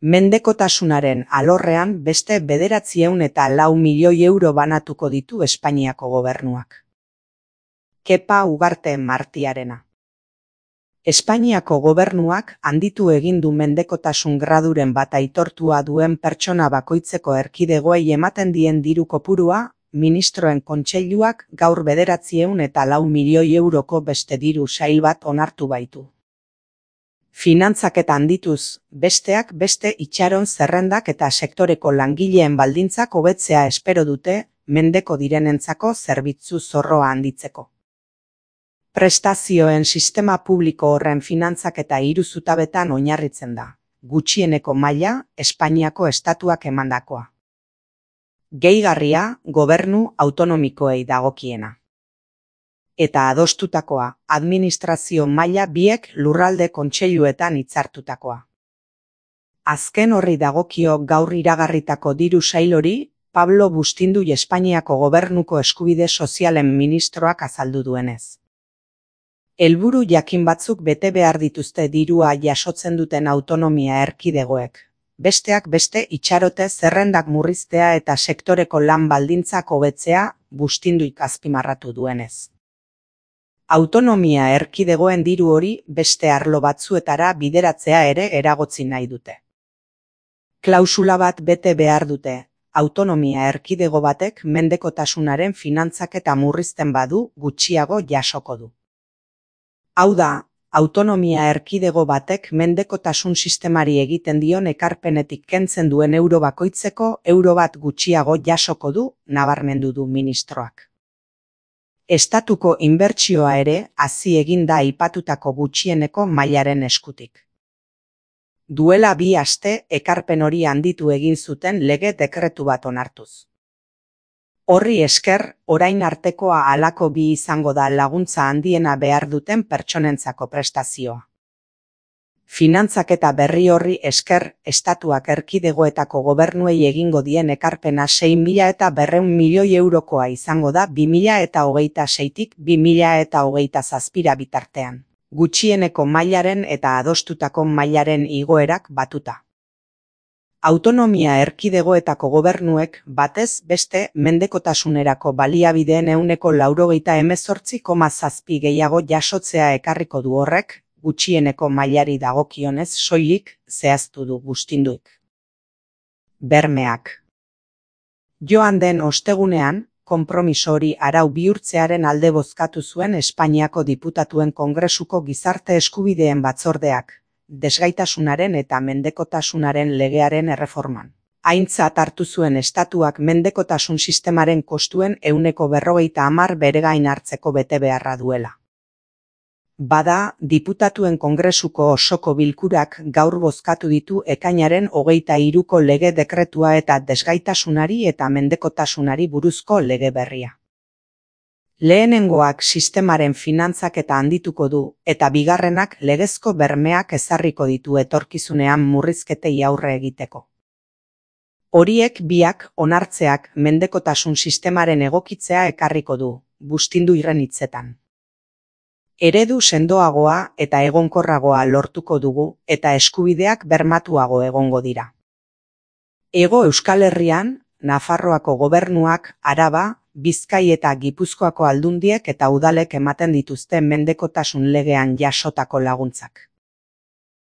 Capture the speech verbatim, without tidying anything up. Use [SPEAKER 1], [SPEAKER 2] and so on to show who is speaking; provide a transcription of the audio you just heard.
[SPEAKER 1] Mendekotasunaren alorrean beste bederatziehun eta lau milioi euro banatuko ditu Espainiako gobernuak. Kepa Ugarte Martiarena. Espainiako gobernuak handitu egin du mendekotasun graduren bat aitortua duen pertsona bakoitzeko erkidegoei ematen dien diru kopurua, ministroen kontseiluak gaur bederatziehun eta lau milioi euroko beste diru sail bat onartu baitu. Finantzaketa handituz, besteak beste itxaron zerrendak eta sektoreko langileen baldintzak hobetzea espero dute, mendeko direnentzako zerbitzu zorroa handitzeko. Prestazioen sistema publiko horren finantzaketa hiru zutabetan oinarritzen da, gutxieneko maila, Espainiako estatuak emandakoa. Gehigarria, gobernu autonomikoei dagokiena. Eta adostutakoa, administrazio maila biek lurralde kontseiluetan hitzartutakoa. Azken horri dagokio gaur iragarritako diru sail hori, Pablo Bustindu Espainiako gobernuko eskubide sozialen ministroak azaldu duenez. Helburu jakin batzuk bete behar dituzte dirua jasotzen duten autonomia erkidegoek. Besteak beste itxarote zerrendak murriztea eta sektoreko lan baldintzak hobetzea, Bustinduik azpimarratu duenez. Autonomia erkidegoen diru hori beste arlo batzuetara bideratzea ere eragotzi nahi dute. Klausula bat bete behar dute, autonomia erkidego batek mendekotasunaren finantzaketa murrizten badu gutxiago jasoko du. Hau da, autonomia erkidego batek mendekotasun sistemari egiten dion ekarpenetik kentzen duen euro bakoitzeko euro bat gutxiago jasoko du, nabarmendu du ministroak. Estatuko inbertsioa ere hazi egin da aipatutako gutxieneko mailaren eskutik. Duela bi aste ekarpen hori handitu egin zuten lege dekretu bat onartuz. Horri esker, orain artekoa halako bi izango da laguntza handiena behar duten pertsonentzako prestazioa. Finantzaketa berri horri esker, estatuak erkidegoetako gobernuei egingo dien ekarpena sei mila eta berrehun milioi eurokoa izango da bi mila eta hogeita seitik bi mila eta hogeita zazpira bitartean, gutxieneko mailaren eta adostutako mailaren igoerak batuta. Autonomia erkidegoetako gobernuek batez beste mendekotasunerako baliabideen ehuneko laurogeita hemezortzi koma zazpi gehiago jasotzea ekarriko du horrek, gutxieneko mailari dagokionez soilik zehaztu du Bustinduik. Bermeak. Joan den ostegunean, konpromiso hori arau bihurtzearen alde bozkatu zuen Espainiako diputatuen kongresuko gizarte eskubideen batzordeak, desgaitasunaren eta mendekotasunaren legearen erreforman. Aintzat hartu zuen estatuak mendekotasun sistemaren kostuen ehuneko berrogeita hamar beregain hartzeko betebeharra duela. Bada, diputatuen kongresuko osoko bilkurak gaur bozkatu ditu ekainaren hogeita hiruko lege dekretua eta desgaitasunari eta mendekotasunari buruzko lege berria. Lehenengoak sistemaren finantzaketa handituko du, eta bigarrenak legezko bermeak ezarriko ditu etorkizunean murrizketei aurre egiteko. Horiek biak onartzeak mendekotasun sistemaren egokitzea ekarriko du, Bustindu irren hitzetan. Eredu sendoagoa eta egonkorragoa lortuko dugu eta eskubideak bermatuago egongo dira. Hego Euskal Herrian, Nafarroako gobernuak, Araba, Bizkai eta Gipuzkoako aldundiek eta udalek ematen dituzte mendekotasun legean jasotako laguntzak.